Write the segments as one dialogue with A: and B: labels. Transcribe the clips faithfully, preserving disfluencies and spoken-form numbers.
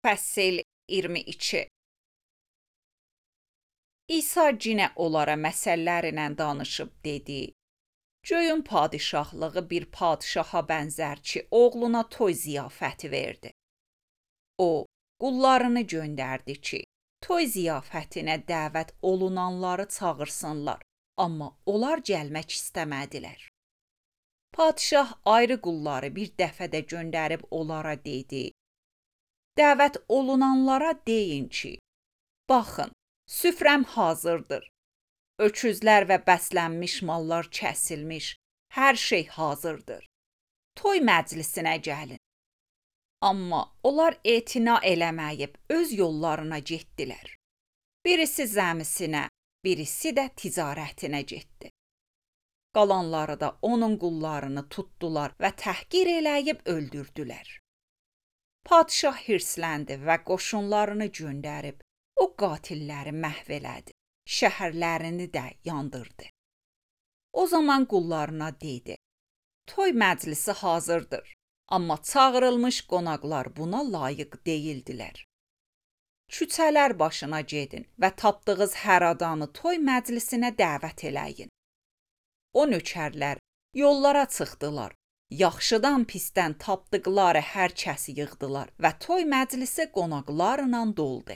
A: Fəsil iyirmi iki. İsa cinə onlara məsəllərlə danışıb dedi: Göyün padişahlığı bir padişaha bənzər ki, oğluna toy ziyafəti verdi. O, qullarını göndərdi ki, toy ziyafətinə dəvət olunanları çağırsınlar, amma onlar gəlmək istəmədilər. Padişah ayrı qulları bir dəfədə göndərib onlara dedi: Dəvət olunanlara deyin ki, baxın, süfrəm hazırdır. Öküzlər və bəslənmiş mallar kəsilmiş, hər şey hazırdır. Toy məclisinə gəlin. Amma onlar etina eləməyib öz yollarına getdilər. Birisi zəmisinə, birisi də ticarətinə getdi. Qalanları da onun qullarını tutdular və təhqir eləyib öldürdülər. Padişah hirsləndi və qoşunlarını göndərib o qatilləri məhv elədi, şəhərlərini də yandırdı. O zaman qullarına dedi: Toy məclisi hazırdır, amma çağırılmış qonaqlar buna layiq deyildilər. Küçələr başına gedin və tapdığınız hər adamı toy məclisinə dəvət eləyin. O nökərlər yollara çıxdılar, yaxşıdan pisdən tapdıqları hər kəsi yığdılar və toy məclisi qonaqlarla doldu.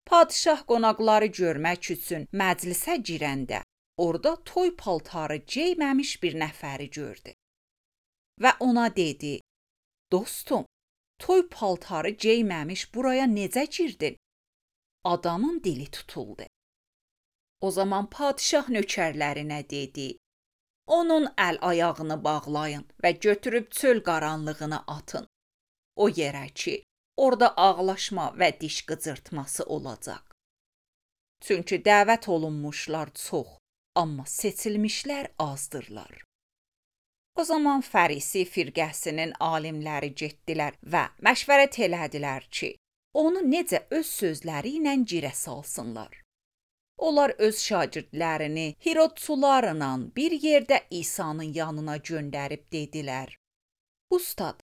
A: Padişah qonaqları görmək üçün məclisə girəndə orada toy paltarı geyməmiş bir nəfəri gördü. Və ona dedi: Dostum, toy paltarı geyməmiş buraya necə girdin? Adamın dili tutuldu. O zaman padişah nökərlərinə dedi: Onun əl-ayağını bağlayın və götürüb çöl qaranlığına atın. O yerə ki, orada ağlaşma və diş qıcırtması olacaq. Çünki dəvət olunmuşlar çox, amma seçilmişlər azdırlar. O zaman Fərisi firqəsinin alimləri getdilər və məşvərət elədilər ki, onu necə öz sözləri ilə girə salsınlar. Onlar öz şagirdlərini Hirodçularla bir yerdə İsa'nın yanına göndərib dedilər: Ustad,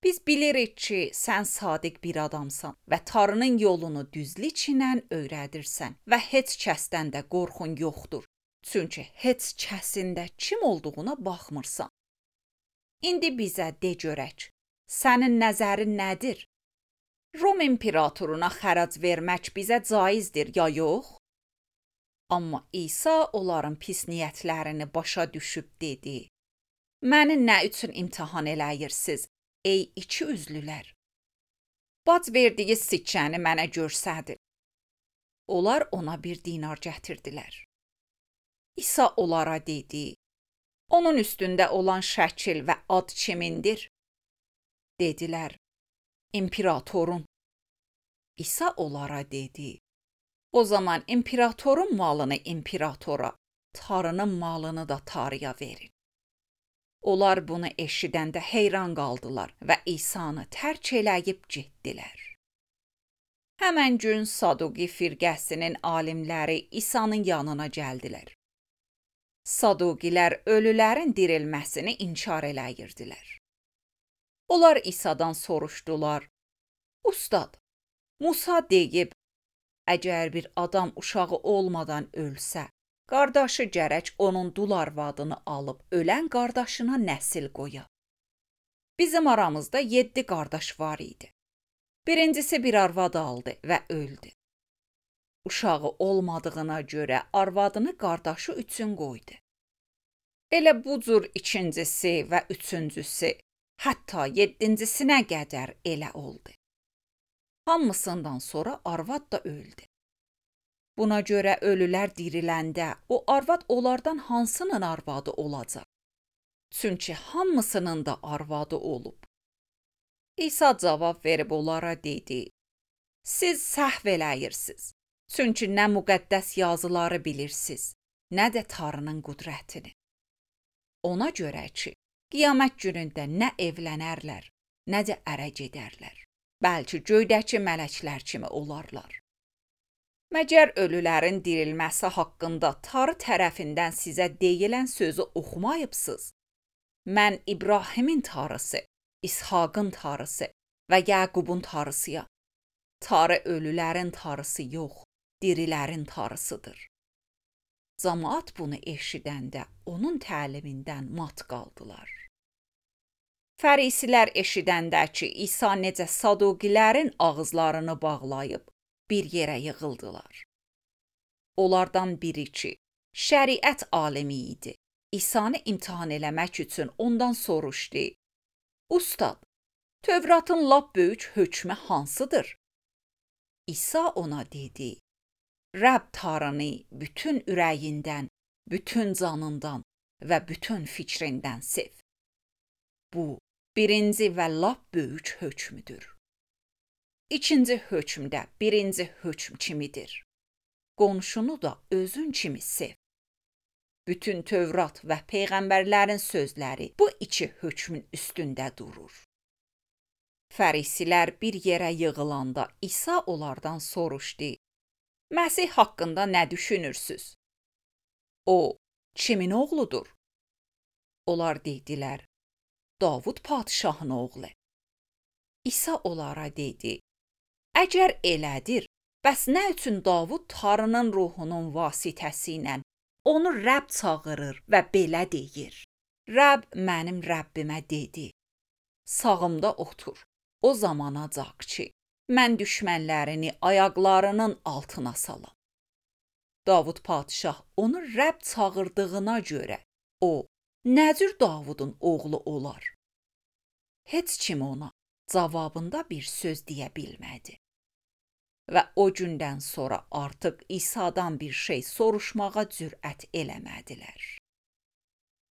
A: biz bilirik ki, sən sadiq bir adamsan və Tanrının yolunu düzlüklə öyrədirsən və heç kəsdən də qorxun yoxdur. Çünki heç kəsin də kim olduğuna baxmırsan. İndi bizə de görək, sənin nəzərin nədir? Rom imperatoruna xərac vermək bizə caizdir ya yox? Amma İsa onların pis niyyətlərini başa düşüb dedi: Məni nə üçün imtahan eləyirsiniz, ey iki üzlülər? Bac verdiyi sikkəni mənə görsədin. Onlar ona bir dinar gətirdilər. İsa onlara dedi: Onun üstündə olan şəkil və ad kimindir? Dedilər: İmperatorun. İsa onlara dedi: O zaman imperatorun malını imperatora, Tanrının malını da Tanrıya verin. Onlar bunu eşidəndə heyran qaldılar və İsanı tərk eləyib getdilər. Həmən gün Saduqi firqəsinin alimləri İsa'nın yanına gəldilər. Saduqilər ölülərin dirilməsini inkar eləyirdilər. Onlar İsa'dan soruşdular: Ustad, Musa deyib, əgər bir adam uşağı olmadan ölsə, qardaşı gərək onun dul arvadını alıb ölən qardaşına nəsil qoya. Bizim aramızda yeddi qardaş var idi. Birincisi bir arvad aldı və öldü. Uşağı olmadığına görə arvadını qardaşı üçün qoydu. Elə bu cür ikincisi və üçüncüsü, hətta yeddincisinə qədər elə oldu. Hamısından sonra arvad da öldü. Buna görə ölülər diriləndə o arvad onlardan hansının arvadı olacaq? Çünki hamısının da arvadı olub. İsa cavab verib onlara dedi: Siz səhv eləyirsiniz. Çünki nə müqəddəs yazıları bilirsiniz, nə də Tanrının qüdrətini. Ona görə ki, qiyamət günündə nə evlənərlər, nə də ərə gedərlər. Bəlkə göydəki mələklər kimi olarlar. Məgər ölülərin dirilməsi haqqında Tanrı tərəfindən sizə deyilən sözü oxumayıbsınız? Mən İbrahimin Tanrısı, İshaqın Tanrısı və Yaqubun Tanrısıyam. Tarı ölülərin tarısı yox, dirilərin tarısıdır. Camaat bunu eşidəndə onun təlimindən mat qaldılar. Fərisilər eşidəndə ki, İsa necə Saduqilərin ağızlarını bağlayıb bir yerə yığıldılar. Onlardan biri ki, şəriət alimi idi, İsanı imtahan eləmək üçün ondan soruşdu: Ustad, Tövratın lap böyük hökmü hansıdır? İsa ona dedi: Rəbb Tanrını bütün ürəyindən, bütün canından və bütün fikrindən sev. Bu, birinci və lap böyük hökmüdür. İkinci hökm də birinci hökm kimidir. Qonşunu da özün kimi sev. Bütün Tövrat və peyğəmbərlərin sözləri bu iki hökmün üstündə durur. Fərisilər bir yerə yığılanda İsa onlardan soruşdu: Məsih haqqında nə düşünürsüz? O, kimin oğludur? Onlar dedilər: Davud padişahın oğlu. İsa onlara dedi: Əgər elədir, bəs nə üçün Davud Tanrının ruhunun vasitəsi ilə onu Rəbb çağırır və belə deyir: Rəbb mənim Rəbbimə dedi: Sağımda otur, o zamanacaq ki, mən düşmənlərini ayaqlarının altına salam. Davud padişah onu Rəbb çağırdığına görə o, nə cür Davudun oğlu olar? Heç kim ona cavabında bir söz deyə bilmədi. Və o gündən sonra artıq İsa'dan bir şey soruşmağa cürət eləmədilər.